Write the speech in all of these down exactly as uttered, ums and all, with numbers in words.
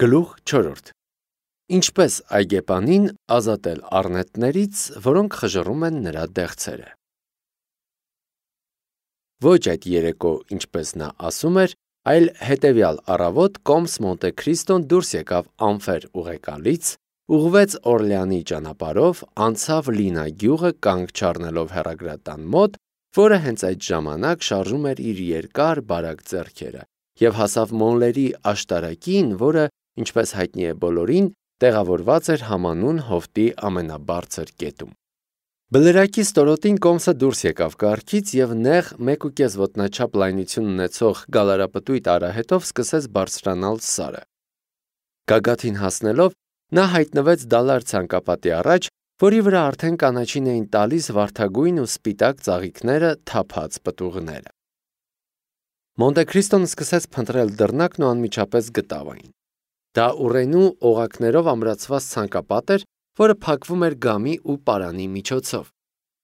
Գլուխ չորրորդ. Ինչպես այգեպանին ազատել առնետներից, որոնք խժռում են նրա դեղցերը։ Ոչ այդ երեկո, ինչպես նա ասում էր, այլ հետևյալ առավոտ կոմս Մոնտե Քրիստոն դուրս եկավ անֆեր ուղեկալից, ուղղվեց Օրլեանի ճանապարհով, անցավ Լինա գյուղը կանգ չառնելով հեռագրատան մոտ, որը հենց այդ ժամանակ շարժում էր իր երկար բարակ ձեռքերը, եւ հասավ Մոնլերի աշտարակին, որը, ինչպես հայտնի է բոլորին, տեղավորված էր համանուն հովտի ամենաբարձր կետում։ Բլրակի ստորոտին կոմսը դուրս եկավ կառքից եւ նեղ մեկ ու կես ոտնաչափ լայնություն ունեցող գալարապտույտ արահետով սկսեց բարձրանալ սարը։ Գագաթին հասնելով, նա հայտնվեց դալար ցանկապատի առաջ, որի վրա արդեն կանաչին էին տալիս վարդագույն ու սպիտակ ծաղիկները թափած պտուղները։ Մոնտե Քրիստոն սկսեց փնտրել դռնակն ու անմիջապես գտավ այն։ Դա ուռենու օղակներով ամրացված ցանկապատ էր, որը փակվում էր գամի ու պարանի միջոցով։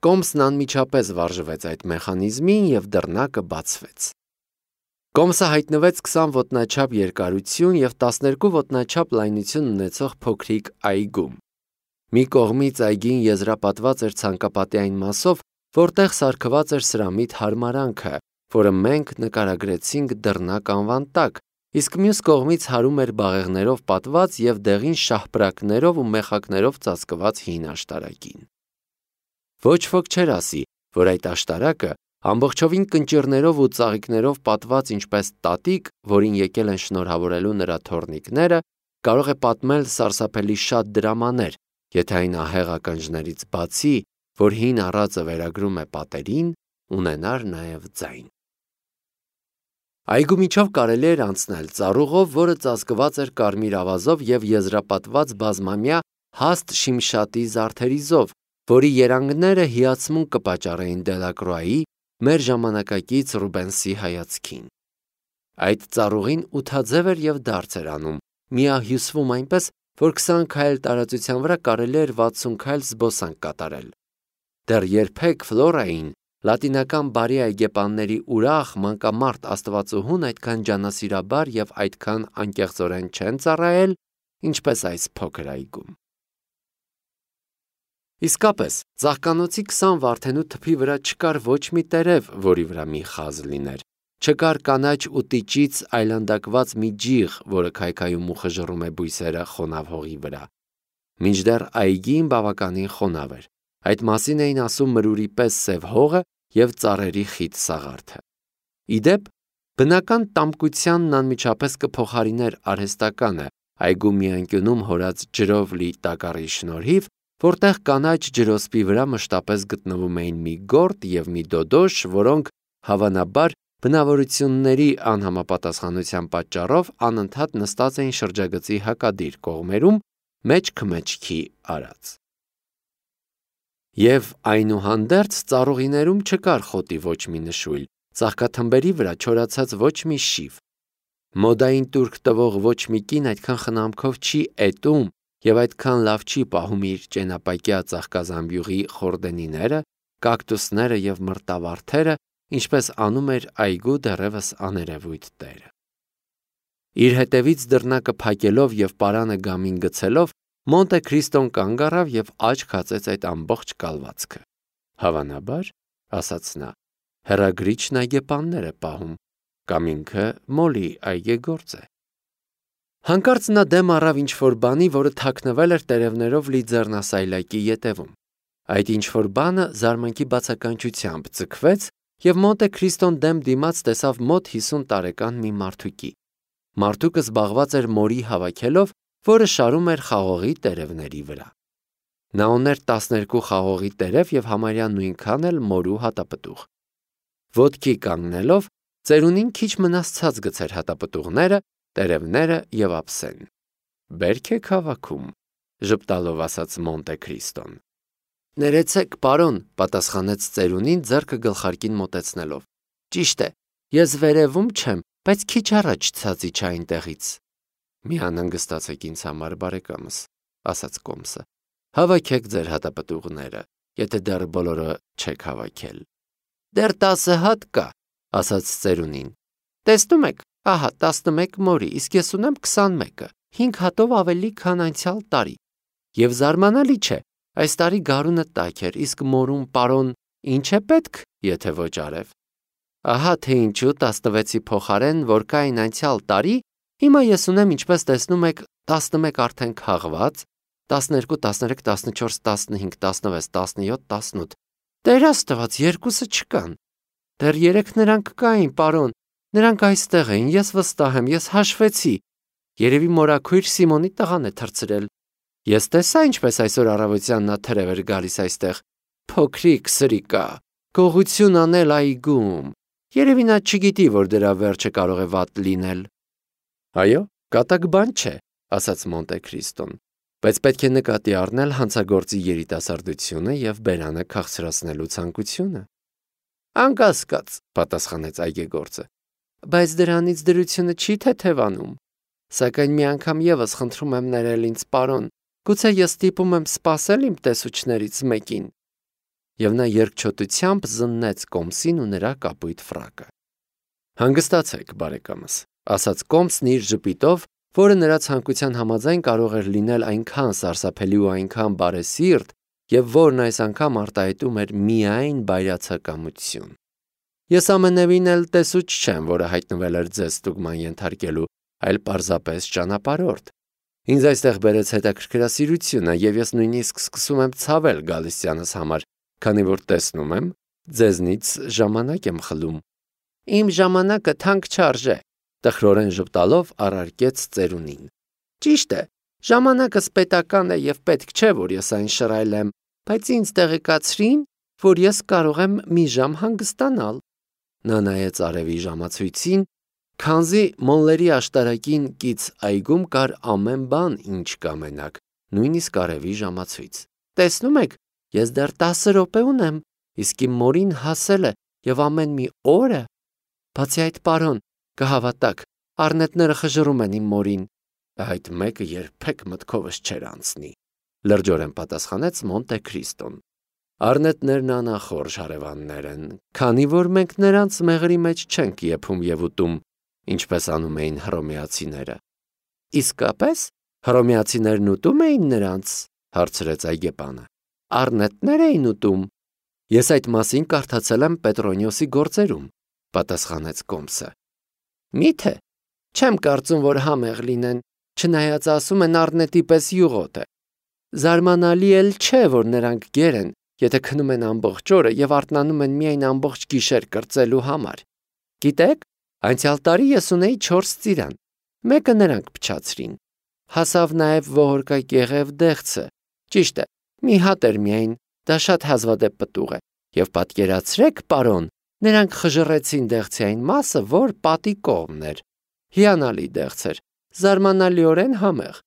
Կոմսն անմիջապես վարժվեց այդ մեխանիզմին եւ դռնակը բացվեց։ Կոմսը հայտնվեց քսան ոտնաչափ երկարություն եւ տասներկու ոտնաչափ լայնություն ունեցող փոքրիկ այգում։ Մի կողմից այգին եզրապատված էր ցանկապատի այն մասով, որտեղ սարքված էր սրամիտ հարմարանքը, որը մենք նկարագրեցինք դռնակ անվան տակ, իսկ մյուս կողմից հարում էր բաղեղներով պատված եւ դեղին շահպրակներով ու մեխակներով ծածկված հին աշտարակին։ Ոչ ոք չէր ասի, որ այդ աշտարակը ամբողջովին կնճիռներով ու ծաղիկներով պատված ինչպես տատիկ, որին եկել են շնորհավորելու նրա թոռնիկները, կարող է պատմել սարսափելի շատ դրամաներ, եթե այն ահեղ ականջներից բացի, որ հին առածը վերագրում է պատերին, ունենար նաև ձայն։ Այգու միջով կարելի էր անցնել ծառուղով, որը ծածկված էր կարմիր ավազով եւ եզրապատված բազմամյա հաստ շիմշատի զարդերիզով, որի երանգները հիացմունք կպատճառեին Դելակրոայի, մեր ժամանակակից Ռուբենսի հայացքին։ Այդ ծառուղին ութաձև էր եւ դարձ էր անում, միահյուսվում այնպես, որ քսան քայլ տարածության վրա կարելի էր վաթսուն քայլ զբոսանք կատարել։ Դեռ երբեք Ֆլորային, լատինական բարի այգեպանների ուրախ մանկամարտ աստվածուհուն այդքան ջանասիրաբար եւ այդքան անկեղծորեն չեն ծառայել, ինչպես այս փոքր այգում։ Իսկապես, ծաղկանոցի քսան վարդենու թփի վրա չկար ոչ մի տերև, որի վրա մի խազ լիներ, չկար կանաչ ու տիճից այլանդակված մի ջիղ, որը քայքայում ու խժռում է բույսերը խոնավ հողի վրա։ Մինչդեռ այգին բավականին խոնավ էր։ Այդ մասին էին ասում մրուրի պես սև հողը եւ ծառերի խիտ սաղարթը։ Իդեպ, բնական տամկությանն անմիջապես կփոխարիներ արհեստականը այգու մի անկյունում հորած ջրով լի տակառի շնորհիվ, որտեղ կանաչ ջրոսպի վրա մշտապես գտնվում էին մի գորտ եւ մի դոդոշ, որոնք հավանաբար բնավորությունների անհամապատասխանության պատճառով անընդհատ նստած էին շրջագծի հակադիր կողմերում, մեջքմեջքի արած։ Եվ այնուհանդերձ ծառուղիներում չկար խոտի ոչ մի նշույլ, ծաղկաթմբերի վրա չորացած ոչ մի շիվ։ Մոդային տուրք տվող ոչ մի կին այդքան խնամքով չի էտում եւ այդքան լավ չի պահում իր ճենապակյա ծաղկազամբյուղի խորդենիները, կակտուսները եւ մրտավարդերը, ինչպես անում էր այգու դեռևս աներևույթ տերը։ Իր հետևից դռնակը փակելով եւ պարանը գամին գցելով, Մոնտե Քրիստոն կանգ առավ եւ աչք հացեց այդ ամբողջ կալվածքը։ Հավանաբար, ասաց նա, հեռագրիչն այգեպաններ է պահում, կամ ինքը Մոլի այգեգործ է։ Հանկարծ նա դեմ առավ ինչ-որ բանի, որը թաքնվել էր տերևներով լի ձեռնասայլակի ետևում։ Այդ ինչ-որ բանը զարմանքի բացականչությամբ ձգվեց եւ Մոնտե Քրիստոն դեմ դիմաց տեսավ մոտ հիսուն տարեկան մի մարդուկի։ Մարդուկը զբաղված էր մորի հավաքելով, որը շարում էր խաղողի տերևների վրա։ Նա ուներ տասներկու խաղողի տերև եւ համարյա նույնքան էլ մորու հատապտուղ։ Ոտքի կանգնելով, ծերունին քիչ մնաց ցած գցեր հատապտուղները, տերևները եւ ափսեն։ Բերք եք հավաքում, ժպտալով ասաց Մոնտե Քրիստոն։ Ներեցեք, պարոն, պատասխանեց ծերունին ձեռքը գլխարկին մոտեցնելով։ Ճիշտ է, ես վերևում չեմ, բայց քիչ առաջ ցածի չէ այնտեղից։ Մի անհանգստացեք ինձ համար, բարեկամս, ասաց կոմսը։ Հավաքեք ձեր հատապտուղները, եթե դեռ բոլորը չեք հավաքել։ Դեռ տասը հատ կա, ասաց ծերունին։ Տեսնում եք, ահա տասնմեկ մորի, իսկ ես ունեմ քսանմեկը։ հինգ հատով ավելի, քան անցյալ տարի։ Եվ զարմանալի չէ, այս տարի գարունը տաք էր, իսկ մորում պարոն ինչ է պետք, եթե ոչ արև։ Ահա թե ինչու տասնվեցի փոխարեն, որ կային անցյալ տարի, հիմա ես ունեմ, ինչպես տեսնում եք, տասնմեկ արդեն քաղված, տասներկու, տասներեք, տասնչորս, տասնհինգ, տասնվեց, տասնյոթ, տասնութ։ Տեր Աստված, երկուսը չկան։ Դեռ երեք նրանք կային, պարոն, նրանք այստեղ էին, ես վստահ եմ, ես հաշվեցի։ Երևի մորաքույր Սիմոնի տղան է թռցրել։ Ես տեսա, ինչպես այսօր առավոտյան նա թրև էր գալիս այստեղ։ Փոքրիկ սրիկա, գողություն անել այգում։ Երևի նա չգիտի, որ դրա վերջը կարող է վատ լինել։ Այո, կատակ բան չէ, ասաց Մոնտե Քրիստոն, բայց պետք է նկատի առնել հանցագործի երիտասարդությունը եւ բերանը քաղցրացնելու ցանկությունը։ Անկասկած, պատասխանեց այգեգործը, բայց դրանից դրությունը չի թեթևանում։ Սակայն մի անգամ եւս խնդրում եմ ներել ինձ, պարոն, գուցե ես ստիպում եմ սպասել իմ տեսուչներից մեկին։ Եվ նա երկչոտությամբ զննեց Կոմսին ու նրա կապույտ ֆրակը։ Հանգստացեք, բարեկամս, ասաց Կոմսն իր ժպիտով, որը նրա ցանկության համաձայն կարող էր լինել այնքան սարսափելի ու այնքան բարեսիրտ, եւ որն այս անգամ արտահայտում էր միայն բայրացակամություն։ Ես ամենևին էլ տեսուչ չեմ, որը հայտնվել էր ձեզ ստուգման ենթարկելու, այլ պարզապես ճանապարհորդ։ Ինձ այստեղ բերեց հետաքրքրասիրությունը, եւ ես նույնիսկ սկսում եմ ցավել գալստյանս համար, քանի որ տեսնում եմ, ձեզնից ժամանակ եմ խլում։ Իմ ժամանակը թանկ չարժե, տխրորեն ժպտալով առարկեց ծերունին։ Ճիշտ է, ժամանակս պետական է եւ պետք չէ, որ ես այն շռայլեմ, բայց ինձ տեղեկացրին, որ ես կարող եմ մի ժամ հանգստանալ։ Նա նայեց արևի ժամացույցին, քանզի Մոնլերի աշտարակին կից այգում կար ամեն բան, ինչ կամենաք, նույնիսկ արևի ժամացույց։ Տեսնում եք, ես դեռ տասը րոպե ունեմ, իսկ իմ մորին հասել է եւ ամեն մի օրը։ Բացի այդ, պարոն, կհավատաք, առնետները խժռում են իմ մորին։ Այդ մեկը երբեք մտքովս չէր անցնի, լրջորեն պատասխանեց Մոնտե Քրիստոն։ Առնետներն անախորժ հարևաններ են, քանի որ մենք նրանց մեղրի մեջ չենք եփում եւ ուտում, ինչպես անում էին հռոմեացիները։ Իսկապես, հռոմեացիներն ուտում էին նրանց, հարցրեց այգեպանը։ Առնետներ էին ուտում։ Ես այդ մասին կարդացել եմ Պետրոնիոսի գործերում, պատասխանեց Կոմսը։ Միթե, չեմ կարծում, որ համեղ լինեն, չնայած ասում են առնետի պես յուղոտ է։ Զարմանալի էլ չէ, որ նրանք գեր են, եթե քնում են ամբողջ օրը եւ արթնանում են միայն ամբողջ գիշեր կրծելու համար։ Գիտեք, անցյալ տարի ես ունեի չորս ծիրան, մեկը նրանք փչացրին։ Հասավ նաեւ ողորկակեղև դեղցը։ Ճիշտ է, մի հատ էր միայն, դա շատ հազվադեպ պտուղ է։ Եվ պատկերացրեք, պարոն, նրանք խժռեցին դեղցի այն մասը, որ պատի կողմն էր։ Հիանալի դեղց էր, զարմանալիորեն համեղ։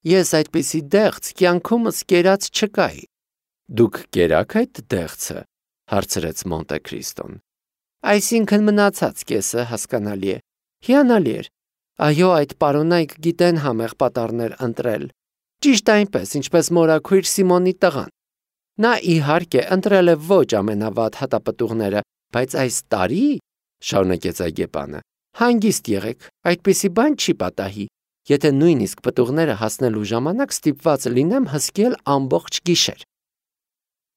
Ես այդպիսի դեղց կյանքումս կերած չկայի։ Դուք կերաք այդ դեղցը, հարցրեց Մոնտե Քրիստոն։ Այսինքն մնացած կեսը հասկանալի է։ Հիանալի էր։ Այո, այդ պարոնայք գիտեն համեղ պատառներ ընտրել։ Ճիշտ այնպես, ինչպես մորաքույր Սիմոնի տղան։ Նա իհարկե ընտրել է ոչ ամենավատ հատապտուղները, բայց այս տարի, շարունակեց այգեպանը, հանգիստ եղեք, այդպիսի բան չի պատահի, եթե նույնիսկ պտուղները հասնելու ժամանակ ստիպված լինեմ հսկել ամբողջ գիշեր։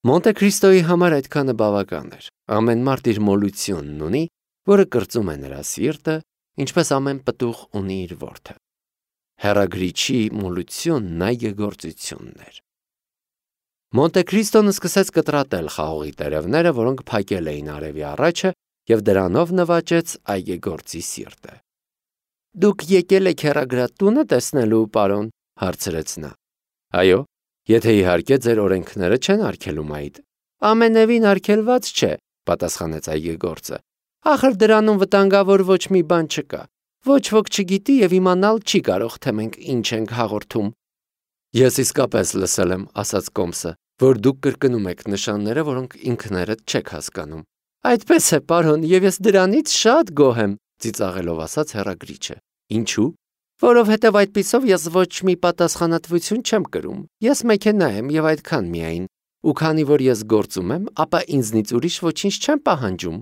Մոնտե Քրիստոյի համար այդքանը բավական էր։ Ամեն մարդ իր մոլությունն ունի, որը կրծում է նրա սիրտը, ինչպես ամեն պտուղ ունի իր որդը։ Հեռագրիչի մոլությունն այգեգործությունն էր։ Մոնտե Քրիստոն սկսեց կտրատել խաղողի տերևները, որոնք փակել էին արևի առաջը, եւ դրանով նվաճեց այգեգործի սիրտը։ Դուք եկել եք հեռագրատունը տեսնելու, պարոն, հարցրեց նա։ Այո, եթե իհարկե ձեր օրենքները չեն արգելում այդ։ Ամենևին արգելված չէ, պատասխանեց այգեգործը։ Ախր դրանում վտանգավոր ոչ մի բան չկա։ Ոչ ոք չգիտի եւ իմանալ չի կարող, թե մենք ինչ ենք հաղորդում։ Ես իսկապես լսել եմ, ասաց Կոմսը, որ դուք կրկնում եք նշանները, որոնք ինքներդ չեք հասկանում։ Այդպես է, պարոն, եւ ես դրանից շատ գոհ եմ, ծիծաղելով ասաց հեռագրիչը։ Ինչու՞։ Որովհետև այդպիսով ես ոչ մի պատասխանատվություն չեմ կրում։ Ես մեքենա եմ եւ այդքան միայն։ Ու քանի որ ես գործում եմ, ապա ինձնից ուրիշ ոչինչ չեմ պահանջում։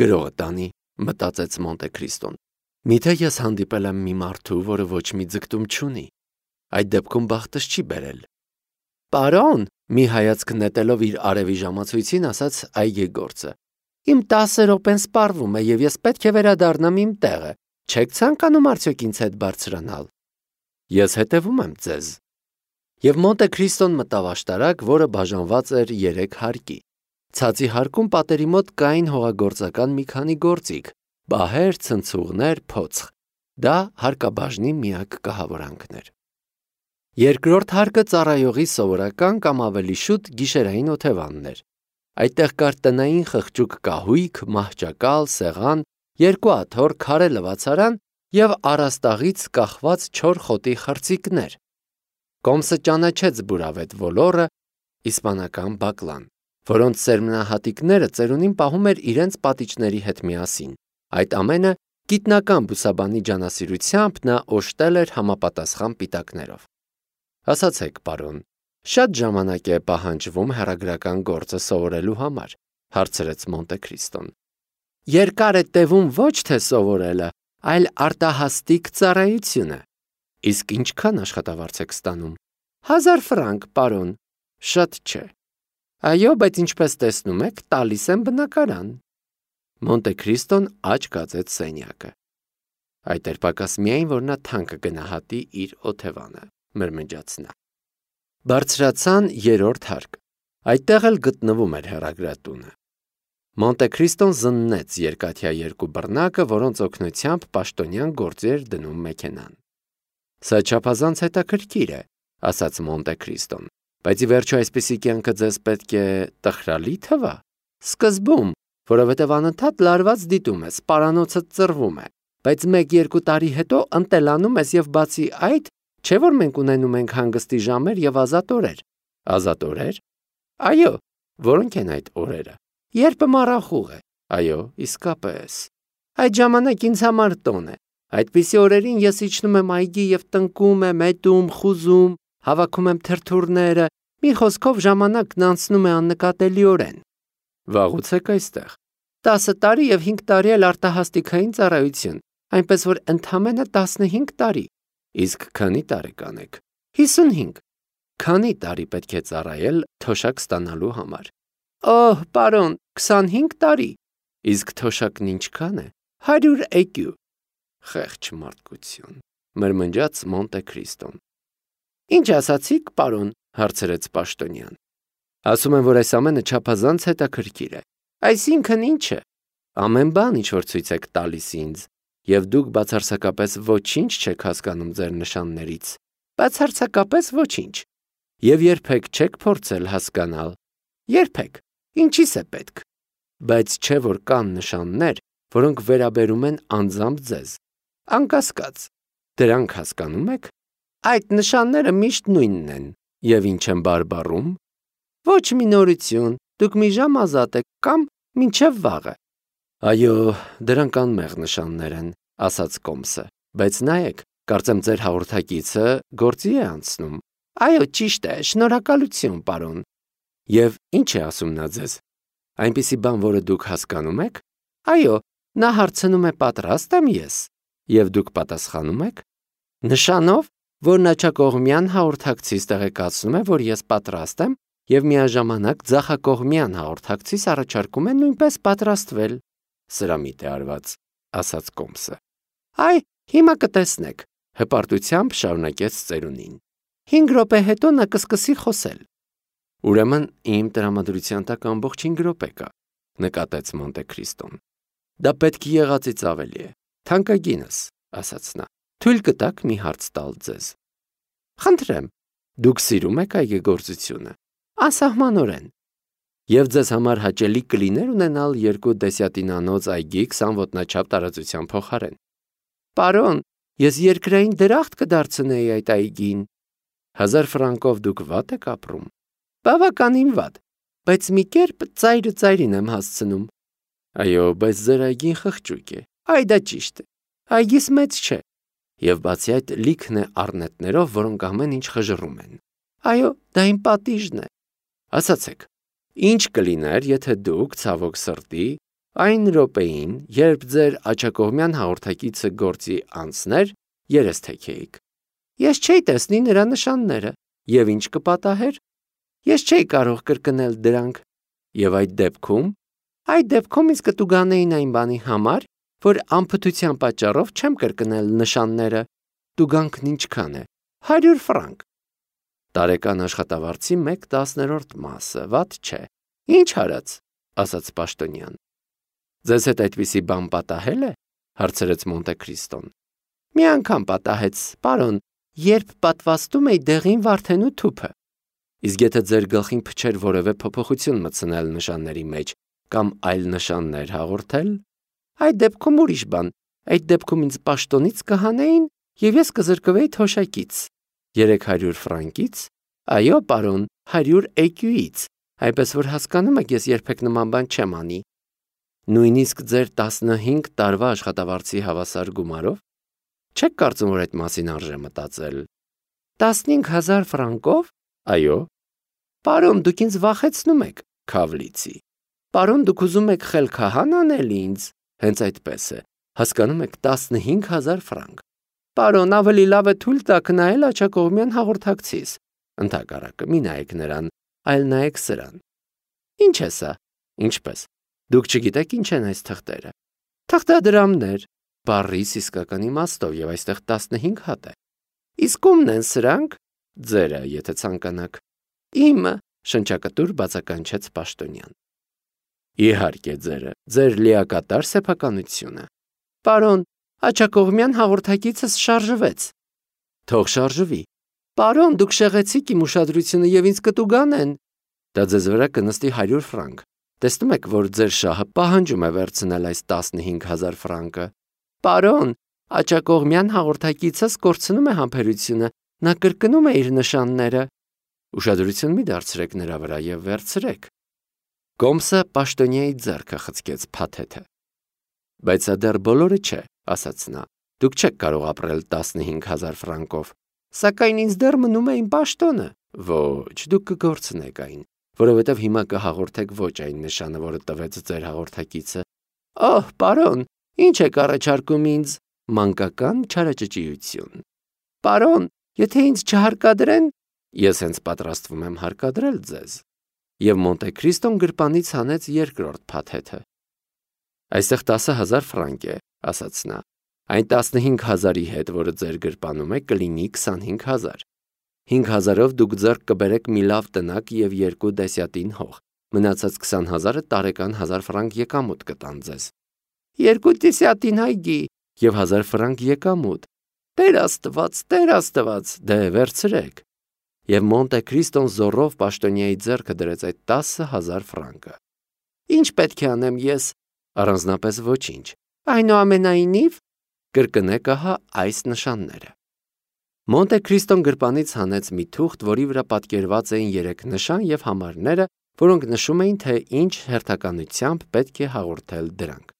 Գրողը տանի, մտածեց Մոնտե Քրիստոն։ Միթե ես հանդիպել եմ մի մարդու, որը ոչ մի ձգտում չունի, այդ դեպքում բախտս չի բերել։ Պարոն, մի հայացք նետելով իր արևի ժամացույցին ասաց այգեգործը, իմ տասը րոպեն սպառվում է և ես պետք է վերադառնամ իմ տեղը, չեք ցանկանում արդյոք ինձ հետ բարձրանալ։ Ես հետևում եմ ձեզ։ Եվ Մոնտե Քրիստոն մտավ աշտարակ, որը բաժանված էր երեք հարկի։ Ցածի հարկում պատերի մոտ կային հողագործական մի քանի գործիք, բահեր, ցնցուղներ, փոცხ։ Դա հարկաբաժնի միակ կահավորանքն էր։ Երկրորդ հարկը ծառայողի սովորական կամ ավելի շուտ գիշերային օթևանն էր։ Այդտեղ կար տնային խղճուկ կահույք, մահճակալ, սեղան, երկու աթոռ, քարե լվացարան և առաստաղից կախված չոր խոտի խրձիկներ։ Կոմսը ճանաչեց բուրավետ ոլորը, իսպանական բակլան, որոնց սերմնահատիկները ծերունին պահում էր իրենց պատիճների հետ միասին։ Այդ ամենը գիտնական բուսաբանի ջանասիրությամբ նա օժտել էր համապատասխան պիտակներով։ Ասացեք, պարոն, շատ ժամանակ է պահանջվում հեռագրական գործը սովորելու համար, հարցրեց Մոնտե Քրիստոն։ Երկար է տևում ոչ թե սովորելը, այլ արտահաստիկ ծառայությունը։ Իսկ ինչքան աշխատավարձ եք ստանում։ Հազար ֆրանկ, պարոն, շատ չէ։ Այո, բայց ինչպես տեսնում եք, տալիս եմ բնակարան։ Մոնտե Քրիստոն աջ կացեց սենյակը։ Այդ էր պակաս միայն, որ նա թանկը գնահատի իր օթևանը, մրմնջաց նա։ Բարձրացան երրորդ հարկ։ Այդտեղ էլ գտնվում էր հեռագրատունը։ Մոնտե Քրիստոն զննեց երկաթյա երկու բռնակը, որոնց օգնությամբ պաշտոնյան գործի էր դնում մեքենան։ Սա չափազանց հետաքրքիր է, ասաց Մոնտե Քրիստոն, բայց ի վերջո այսպիսի կյանքը ձեզ պետք է տխրալի թվա։ Սկզբում, որովհետև անընդհատ լարված դիտում ես, պարանոցը ծռվում է, բայց մեկ-երկու տարի հետո ընտելանում ես և բացի այդ, չէ՞ որ մենք ունենում ենք հանգստի ժամեր և ազատ օրեր։ Ազատ օրեր։ Այո, որոնք են այդ օրերը։ Երբ մառախուղ է։ Այո, իսկապես։ Այդ ժամանակ ինձ համար տոն է։ Այդպիսի օրերին ես իջնում եմ այգի և տնկում եմ, էտում, խուզում, հավաքում եմ թրթուրները, մի խոսքով ժամանակն անցնում է աննկատելիորեն։ Վաղուց եք այստեղ։ Տասը տարի և հինգ տարի էլ արտահաստիկային ծառայություն, այնպես որ ընդամենը տասնհինգ տարի։ Իսկ քանի տարեկան եք։ Հիսունհինգ։ Քանի տարի պետք է ծառայել թոշակ ստանալու համար։ Օհ, պարոն, քսանհինգ տարի։ Իսկ թոշակն ինչքան է։ Հարյուր էկյու։ Խեղճ մարդկություն, մրմնջաց Մոնտե Քրիստոն։ Ինչ ասացիք, պարոն, հարցրեց պաշտոնյան։ Ասում եմ, որ այս ամենը չափազանց հետաքրքիր է։ Այսինքն ի՞նչը։ Ամեն բան, ինչ որ ցույց եք տալիս ինձ, և դուք բացարձակապես ոչինչ չեք հասկանում ձեր նշաններից։ Բացարձակապես ոչինչ։ Եվ երբեք չեք փորձել հասկանալ։ Երբեք։ Ինչի՞ս է պետք։ Բայց չէ որ կան նշաններ, որոնք վերաբերում են անձամբ ձեզ։ Անկասկած, դրանք հասկանում եք։ Այդ նշանները միշտ նույնն են։ Եվ ինչ են բարբառում։ Ոչ մի նորություն, դուք մի ժամ ազատ եք կամ մինչև վաղը։ Այո, դրանք անմեղ նշաններ են, ասաց Կոմսը, բայց նայեք, կարծեմ ձեր հաղորդակիցը գործի է անցնում։ Այո, ճիշտ է, շնորհակալություն, պարոն։ Եվ ինչ է ասում նա ձեզ։ Այնպիսի բան, որը դուք հասկանում եք։ Այո, նա հարցնում է պատրաստ եմ ես։ Եվ դուք պատասխանում եք։ Նշանով, որ նախակողմյան հաղորդակցից տեղեկացնում է, որ ես պատրաստ եմ, և միաժամանակ ձախակողմյան հաղորդակցից առաջարկում է նույնպես պատրաստվել։ Սրամիտ է արված, ասաց Կոմսը։ Այ, հիմա կտեսնեք, հպարտությամբ շարունակեց ծերունին։ Հինգ րոպե հետո նա կսկսի խոսել։ Ուրեմն իմ տրամադրության տակ ամբողջ հինգ րոպե կա, նկատեց Մոնտե Քրիստոն։ Դա պետք եղածից ավելի է։ Թանկագինս, ասաց նա, թույլ կտաք մի հարց տալ ձեզ։ Խնդրեմ, դուք սիրում եք այգեգործությունը։ Անսահմանորեն։ Եվ ձեզ համար հաճելի կլիներ ունենալ երկու դեսյատինանոց այգի քսան ոտնաչափ տարածության փոխարեն։ Պարոն, ես երկրային դրախտ կդարձնեի այդ այգին։ Հազար ֆրանկով դուք վատ եք ապրում։ Բավականին վատ, բայց մի կերպ ծայրը ծայրին եմ հասցնում։ Այո, բայց ձեր այգին խղճուկ է։ Այ դա ճիշտ է։ Այգիս մեծ չէ։ Եվ բացի այդ լիքն է առնետներով, որոնք ամեն ինչ խժռում են։ Այո, դա իմ պատիժն է։ Ասացեք, ինչ կլիներ, եթե դուք ցավոք սրտի Այն րոպեին, երբ ձեր աջակողմյան հաղորդակիցը գործի անցներ, երես թեքեիք։ Ես չէի տեսնի նրա նշանները, եւ ինչ կպատահեր։ Ես չէի կարող կրկնել դրանք, եւ այդ դեպքում, այդ դեպքում ինձ կտուգանեին այն բանի համար, որ անփթության պատճառով չեմ կրկնել նշանները։ Տուգանքն ինչքան է։ հարյուր ֆրանկ։ Տարեկան աշխատավարձի մեկ տասներորդ մասը, վատ չէ։ Ինչ արած, ասաց պաշտոնյան։ Ձեզ հետ այդպիսի բան պատահել է, հարցրեց Մոնտե Քրիստոն։ Մի անգամ պատահեց, պարոն, երբ պատվաստում էի դեղին վարդենու թուփը։ Իսկ եթե ձեր գլխին փչեր որևէ փոփոխություն մտցնել նշանների մեջ կամ այլ նշաններ հաղորդել, այդ դեպքում ուրիշ բան, այդ դեպքում ինձ պաշտոնից կհանեին եւ ես կզրկվեի թոշակից։ երեք հարյուր ֆրանկից, այո, պարոն, հարյուր էկյուից, այնպես որ հասկանում եք, ես երբեք նման բան չեմ անի։ Նույնիսկ ձեր տասնհինգ տարվա աշխատավարձի հավասար գումարով։ Չեք կարծում, որ այդ մասին արժե մտածել։ տասնհինգ հազար ֆրանկով։ Այո։ Պարոն, դուք ինձ վախեցնում եք, քավլիցի։ Պարոն, դուք ուզում եք խելքահան անել ինձ։ Հենց այդպես է։ Հասկանում եք, տասնհինգ հազար ֆրանկ։ Պարոն, ավելի լավ է թույլ տաք նայել աջակողմյան հաղորդակցիս։ Ընդհակառակը, մի նայեք նրան, այլ նայեք սրան։ Ինչ է սա։ Ինչպես։ Դուք չգիտեք ինչ են այս թղթերը։ Թղթադրամներ, բառիս իսկական իմաստով եւ այստեղ տասնհինգ հատ է։ Իսկ ումն են սրանք։ Ձերը, եթե ցանկանաք։ Իմը, շնչակտուր բացականչեց պաշտոնյան։ Իհարկե ձերը, ձեր լիակատար սեփականությունը։ Պարոն, աջակողմյան հաղորդակիցս շարժվեց։ Թող շարժվի։ Պարոն, դուք շեղեցիք իմ ուշադրությունը եւ ինձ կտուգանեն։ Դա ձեզ վրա կնստի հարյուր ֆրանկ։ Տեսնում եք, որ ձեր շահը պահանջում է վերցնել այս տասնհինգ հազար ֆրանկը։ Պարոն, աջակողմյան հաղորդակիցս կորցնում է համբերությունը, նա կրկնում է իր նշանները։ Ուշադրություն մի դարձրեք նրա վրա եւ վերցրեք։ Կոմսը պաշտոնյայի ձեռքը խցկեց փաթեթը։ Բայց դա դեռ բոլորը չէ, ասաց նա։ Դուք չեք կարող ապրել տասնհինգ հազար ֆրանկով։ Սակայն ինձ դեռ մնում է իմ պաշտոնը։ Ոչ, դուք կգործնեք այն, որովհետև հիմա կհաղորդեք ոչ այն նշանը, որը տվեց ձեր հաղորդակիցը։ Օհ, պարոն, ինչ եք առաջարկում ինձ։ Մանկական չարաճճիություն։ Պարոն, եթե ինձ չհարկադրեն, ես հենց պատրաստվում եմ հարկադրել ձեզ։ Եվ Մոնտե Քրիստոն գրպանից հանեց երկրորդ փաթեթը։ Այստեղ տասը հազար ֆրանկ է, ասաց նա։ Այն տասնհինգ հազարի հետ, որը ձեր գրպանում է, կլինի քսանհինգ հազար։ հինգ հազարով դուք ձեռք կբերեք մի լավ տնակ եւ երկու դեսյատին հող։ Մնացած քսան հազարը տարեկան հազար ֆրանկ եկամուտ կտան ձեզ։ Երկու դեսյատին հայգի եւ հազար ֆրանկ եկամուտ։ Տեր Աստված, Տեր Աստված, դե վերցրեք։ Եվ Մոնտե Քրիստոն զորով պաշտոնյայի ձեռքը դրեց այդ տասը հազար ֆրանկը։ Ինչ պետք է անեմ ես։ Առանձնապես ոչինչ։ Այնուամենայնիվ, կրկնեք ահա այս նշանները։ Մոնտե Քրիստոն գրպանից հանեց մի թուղթ, որի վրա պատկերված էին երեք նշան եւ համարները, որոնք նշում էին, թե ինչ հերթականությամբ պետք է հաղորդել դրանք։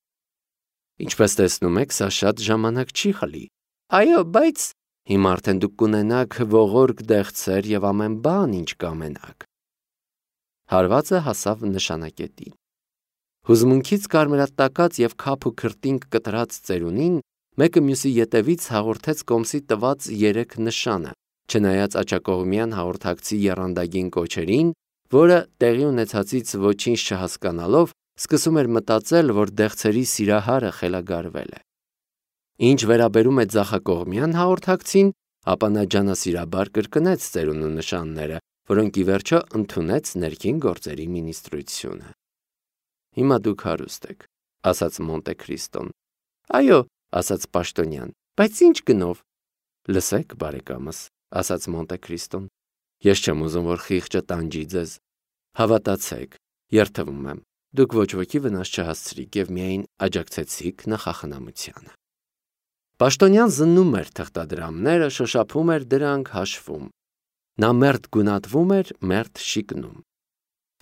Ինչպես տեսնում եք, սա շատ ժամանակ չի խլի։ Այո, բայց հիմա արդեն դուք կունենաք ողորկ դեղցեր եւ ամեն բան, ինչ կամենաք։ Հարվածը հասավ նշանակետին։ Հուզմունքից կարմրատակած եւ քափ ու քրտինք կտրած ծերունին մեկը մյուսի ետևից հաղորդեց Կոմսի տված երեք նշանը, չնայած աջակողմյան հաղորդակցի եռանդագին կոչերին, որը տեղի ունեցածից ոչինչ չհասկանալով սկսում էր մտածել, որ դեղցերի սիրահարը խելագարվել է։ Ինչ վերաբերում է ձախակողմյան հաղորդակցին, ապա նա ջանասիրաբար կրկնեց ծերունու նշանները, որոնք ի վերջո ընդունեց ներքին գործերի մինիստրությունը։ Հիմա դուք հարուստ եք, ասաց Մոնտե Քրիստոն։ Այո, ասաց պաշտոնյան, բայց ինչ գնով։ Լսեք, բարեկամս, ասաց Մոնտե Քրիստոն։ Ես չեմ ուզում, որ խիղճը տանջի ձեզ։ Հավատացեք, երթվում եմ, դուք ոչ ոքի վնաս չհասցրիք եւ միայն աջակցեցիք նախախնամությանը։ Պաշտոնյան զննում էր թղթադրամները, շոշափում էր դրանք, հաշվում։ Նա մերթ գունատվում էր, մերթ շիկնում։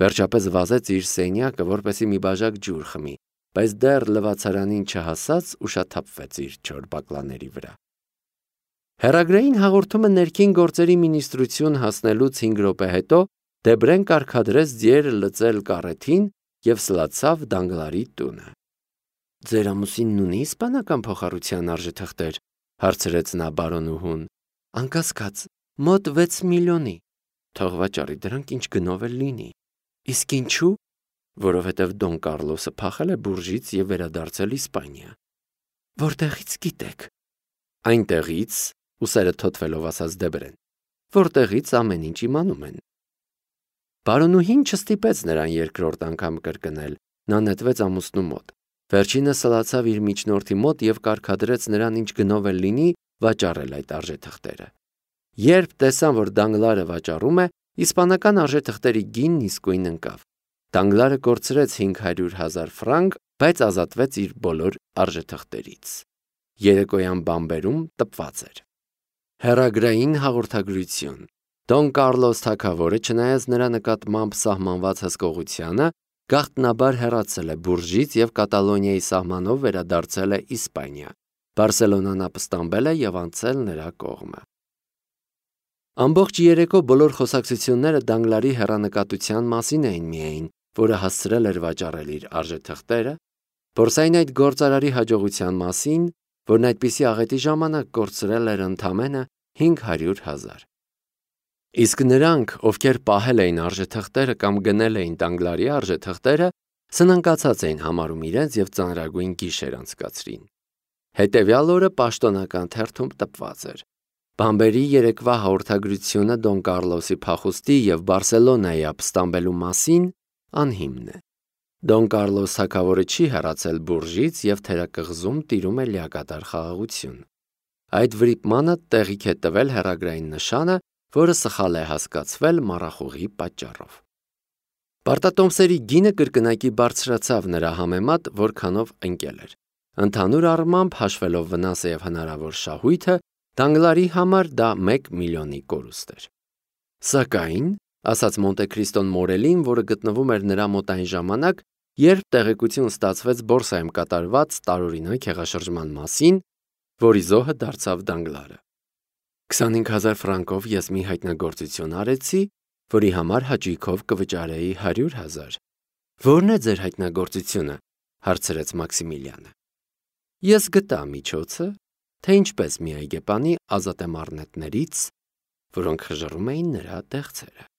Վերջապես վազեց իր սենյակը, որպեսի մի բաժակ ջուր խմի, բայց դեռ լվացարանին չհասած ուշաթափվեց իր չոր բակլաների վրա։ Հեռագրային հաղորդումը ներքին գործերի մինիստրություն հասնելուց հինգ րոպե հետո Դեբրեն կարգադրեց ձիերը լծել կառեթին եւ սլացավ Դանգլարի տունը։ Ձեր ամուսինն ունի իսպանական փոխառության արժեթղթեր, հարցրեց նա բարոնուհուն։ Անկասկած, մոտ վեց միլիոնի։ Թող վաճառի դրանք ինչ գնով էլ լինի։ Իսկ ինչու՞։ Որովհետև Դոն Կարլոսը փախել է Բուրժից եւ վերադարձել Իսպանիա։ Որտեղից գիտեք։ Այնտեղից, ուսերը թոթվելով ասաց Դեբրեն, որտեղից ամեն ինչ իմանում են։ Բարոնուհին չստիպեց նրան երկրորդ անգամ կրկնել, նա նետվեց ամուսնու մոտ։ Վերջինը սլացավ իր միջնորդի մոտ եւ կարգադրեց նրան ինչ գնով էլ լինի վաճառել այդ արժեթղթերը։ Երբ տեսան, որ Դանգլարը վաճառում է, իսպանական արժեթղթերի գինն իսկույն ընկավ։ Դանգլարը կորցրեց հինգ հարյուր հազար ֆրանկ, բայց ազատվեց իր բոլոր արժեթղթերից։ Երեկոյան բամբերում տպված էր։ Հեռագրային հաղորդագրություն։ Դոն Կարլոս թագավորը, չնայած նրա նկատմամբ սահմանված հսկողությանը, գաղտնաբար հեռացել է Բուրժից եւ Կատալոնիայի սահմանով վերադարձել է Իսպանիա։ Բարսելոնան ապստամբել է եւ անցել նրա կողմը։ Ամբողջ երեկո բոլոր խոսակցությունները Դանգլարի հեռանկատության մասին էին միայն, որը հասցրել էր վաճառել իր արժեթղթերը, Բորսային այդ գործարարի հաջողության մասին, որն այդպիսի աղետի ժամանակ կորցրել էր ընդամենը հինգ հարյուր հազար։ Իսկ նրանք, ովքեր պահել էին արժեթղթերը կամ գնել էին Դանգլարի արժեթղթերը, սնանկացած էին համարում իրենց եւ ծանրագույն գիշեր անցկացրին։ Հետևյալ օրը պաշտոնական թերթում տպված էր. Բամբերի երեկվա հաղորդագրությունը Դոն Կարլոսի փախուստի եւ Բարսելոնայի ապստամբելու մասին անհիմն է։ Դոն Կարլոս թագավորը չի հեռացել Բուրժից եւ թերակղզում տիրում է լիակատար խաղաղություն։ Այդ վրիպմանը տեղիք է տվել հեռագրային նշանը, որը սխալ է հասկացվել մառախուղի պատճառով։ Պարտատոմսերի գինը կրկնակի բարձրացավ նրա համեմատ, որքանով ընկել էր։ Ընդհանուր առմամբ հաշվելով վնասը եւ հնարավոր շահույթը, Դանգլարի համար դա մեկ միլիոնի կորուստ էր։ Սակայն, ասաց Մոնտե Քրիստոն Մորելին, որը գտնվում էր նրա մոտ այն ժամանակ, երբ տեղեկություն ստացվեց բորսայում կատարված տարօրինակ հեղաշրջման մասին, որի զոհը դարձավ Դանգլարը։ քսանհինգ հազար ֆրանկով ես մի հայտնագործություն արեցի, որի համար հաճույքով կվճարեի հարյուր հազար։ Ո՞րն է ձեր հայտնագործությունը, հարցրեց Մաքսիմիլիանը։ Ես գտա միջոցը, թե ինչպես մի այգեպանի ազատ եմ առնետներից, որոնք խժռում էին նրա տեղցերը։